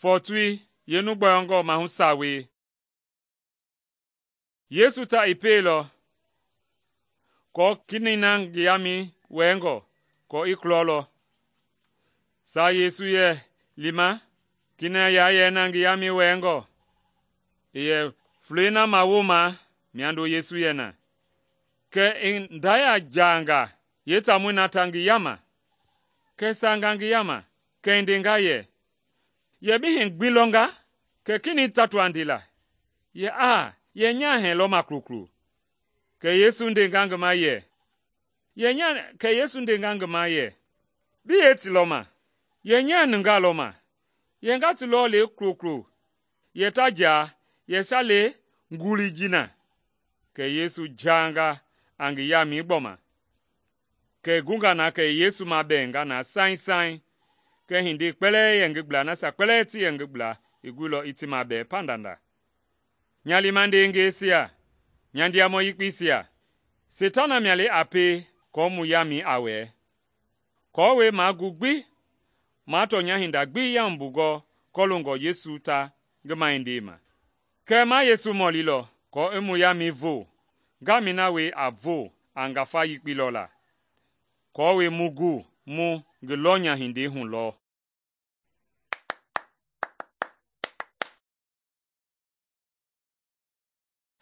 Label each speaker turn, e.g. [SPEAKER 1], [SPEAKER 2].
[SPEAKER 1] Fɔɔtoi yeenu gbɔyɔngɔ mahu sawei. Yesu ta i pieilɔ kɔɔ kenɛi na ngi yaamɛi wɛɛngɔ kɔɔ i kulɔlɔ. Saa Yesu yɛ lima kenɛi yayɛi na ngi yaamɛi wɛɛngɔ, i yɛ fulei na mawoma miando Yesu yɛ na. Kɛ i ndaya jaanga yeetaamɔi na ta ngi yaama. Kɛ i saanga ngi yaama, kɛ i ndenga yɛ, “Yɛ bi hii gbi lɔnga?” Kɛ kenɛi tatu a ndela yɛ, “Aa, yɛ nyaa hɛɛ lɔma kulukulu.” Kɛ Yesu ndenga ngi ma yɛ, “Bi yee ti lɔma? Yɛ nyaa nungaa lɔma. Yɛ nga ti lɔ le kulokulo yɛ ta jaa yɛ sa le ngulii ji na.” Kɛ Yesu jaanga a ngi yaamɛi gbɔma. Kɛ i gunga na kɛ i Yesu mabɛɛnga na saiŋ. Kɛ hindei kpɛlɛɛ yɛ ngi gbla, nasia kpɛlɛɛ ti yɛ ngi gbla i guilɔ i ti mabɛɛ pandanda. Nya liima ndeengɛisia, nya ndiamɔ yekpeisia, Seitana mia le a pie aako mu yaamɛi a wɛɛ, aako maa gu gbi maa tɔnya hinda gbi yaumbungɔ kɔloongɔ Yesu ta ngi mahindei ma. Kɛɛ ma Yesu mɔlilɔ aako i mu yaamɛi voo, ngamɛi na wee a voo a ngafa yekpei lɔ la, aako mu gu mu ngi lɔnyahindei hu lɔ.